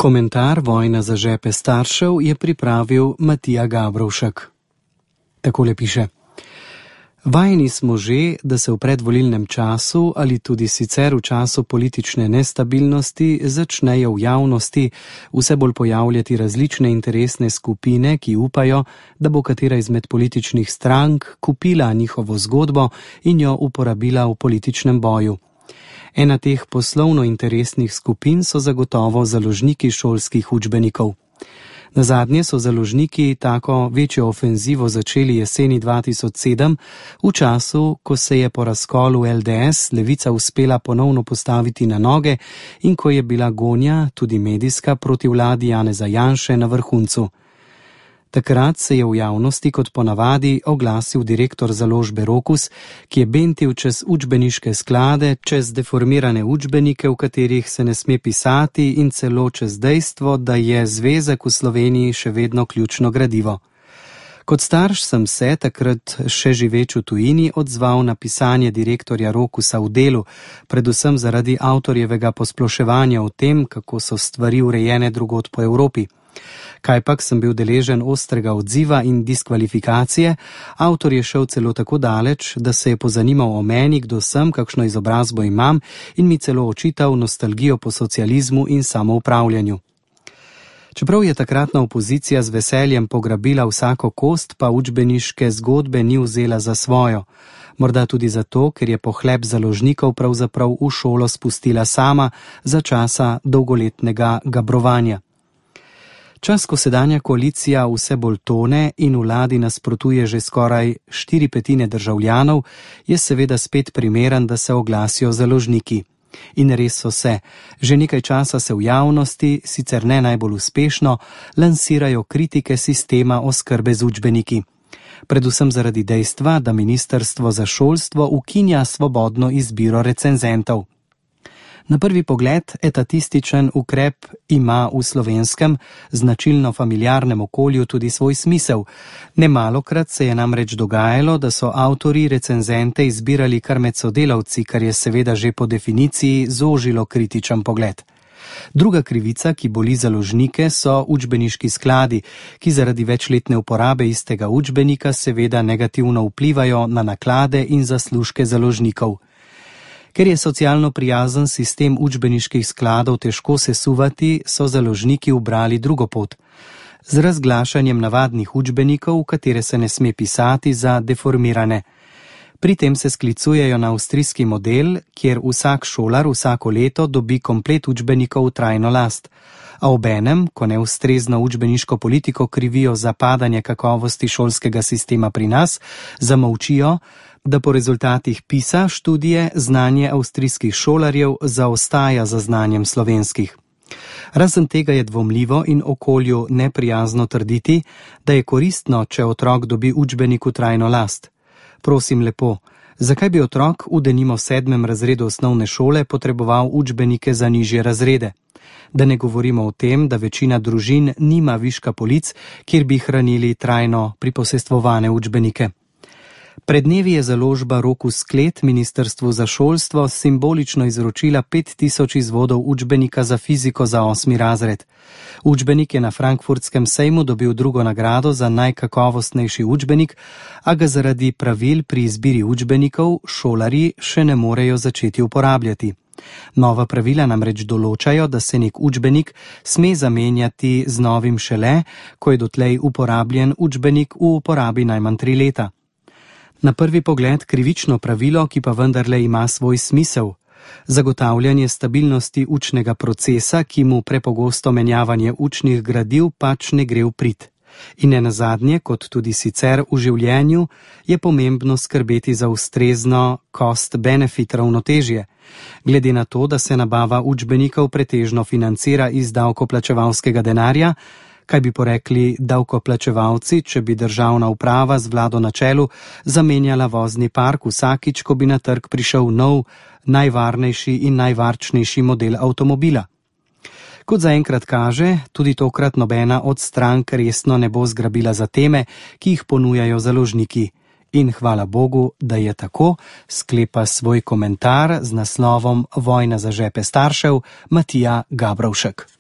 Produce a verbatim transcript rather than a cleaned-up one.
Komentar Vojna za žepe staršev je pripravil Matija Gabrovšek. Takole piše. Vajeni smo že, da se v predvolilnem času ali tudi sicer v času politične nestabilnosti začnejo v javnosti vse bolj pojavljati različne interesne skupine, ki upajo, da bo katera izmed političnih strank kupila njihovo zgodbo in jo uporabila v političnem boju. Ena teh poslovno-interesnih skupin so zagotovo založniki šolskih učbenikov. Nazadnje so založniki tako večjo ofenzivo začeli jeseni dva tisoč sedem, v času, ko se je po razkolu el de es levica uspela ponovno postaviti na noge in ko je bila gonja, tudi medijska, proti vladi Janeza Janše na vrhuncu. Takrat se je v javnosti kot ponavadi oglasil direktor založbe Rokus, ki je bentil čez učbeniške sklade, čez deformirane učbenike, v katerih se ne sme pisati, in celo čez dejstvo, da je zvezek v Sloveniji še vedno ključno gradivo. Kot starš sem se, takrat še živeč v tujini, odzval na pisanje direktorja Rokusa v Delu, predvsem zaradi avtorjevega posploševanja o tem, kako so stvari urejene drugod po Evropi. Kajpak sem bil deležen ostrega odziva in diskvalifikacije, avtor je šel celo tako daleč, da se je pozanimal o meni, kdo sem, kakšno izobrazbo imam, in mi celo očital nostalgijo po socializmu in samoupravljanju. Čeprav je takratna opozicija z veseljem pograbila vsako kost, pa učbeniške zgodbe ni vzela za svojo. Morda tudi zato, ker je pohlep založnikov pravzaprav v šolo spustila sama za časa dolgoletnega gabrovanja. Čas, ko sedanja koalicija vse bolj tone in vladi nasprotuje že skoraj štiri petine državljanov, je seveda spet primeren, da se oglasijo založniki. In res so se. Že nekaj časa se v javnosti, sicer ne najbolj uspešno, lansirajo kritike sistema oskrbe z učbeniki. Predvsem zaradi dejstva, da Ministrstvo za šolstvo ukinja svobodno izbiro recenzentov. Na prvi pogled etatističen ukrep ima v slovenskem, značilno familiarnem okolju tudi svoj smisel. Nemalokrat se je namreč dogajalo, da so avtorji recenzente izbirali kar med sodelavci, kar je seveda že po definiciji zožilo kritičen pogled. Druga krivica, ki boli založnike, so učbeniški skladi, ki zaradi večletne uporabe istega učbenika seveda negativno vplivajo na naklade in zaslužke založnikov. Ker je socialno prijazen sistem učbeniških skladov težko sesuvati, so založniki ubrali drugo pot. Z razglašanjem navadnih učbenikov, v katere se ne sme pisati, za deformirane. Pri tem se sklicujejo na avstrijski model, kjer vsak šolar vsako leto dobi komplet učbenikov v trajno last. A obenem, ko neustrezno učbeniško politiko krivijo za padanje kakovosti šolskega sistema pri nas, zamolčijo, da po rezultatih PISA študije znanje avstrijskih šolarjev zaostaja za znanjem slovenskih. Razen tega je dvomljivo in okolju neprijazno trditi, da je koristno, če otrok dobi učbenik v trajno last. Prosim lepo, zakaj bi otrok v denimo sedmem razredu osnovne šole potreboval učbenike za nižje razrede? Da ne govorimo o tem, da večina družin nima viška polic, kjer bi hranili trajno priposestvovane učbenike. Pred dnevi je založba Rokus Sklet Ministrstvu za šolstvo simbolično izročila pet tisoč izvodov učbenika za fiziko za osmi razred. Učbenik je na frankfurtskem sejmu dobil drugo nagrado za najkakovostnejši učbenik, a ga zaradi pravil pri izbiri učbenikov šolarji še ne morejo začeti uporabljati. Nova pravila namreč določajo, da se nek učbenik sme zamenjati z novim šele, ko je dotlej uporabljen učbenik v uporabi najmanj tri leta. Na prvi pogled krivično pravilo, ki pa vendarle ima svoj smisel. Zagotavljanje stabilnosti učnega procesa, ki mu prepogosto menjavanje učnih gradiv pač ne gre v prid. In nenazadnje, kot tudi sicer v življenju, je pomembno skrbeti za ustrezno cost-benefit ravnotežje. Glede na to, da se nabava učbenikov pretežno financira iz davkoplačevalskega denarja, kaj bi porekli davkoplačevalci, če bi državna uprava z vlado na čelu zamenjala vozni park vsakič, ko bi na trg prišel nov, najvarnejši in najvarčnejši model avtomobila. Kot zaenkrat kaže, tudi tokrat nobena od strank resno ne bo zgrabila za teme, ki jih ponujajo založniki. In hvala Bogu, da je tako, sklepa svoj komentar z naslovom Vojna za žepe staršev Matija Gabrovšek.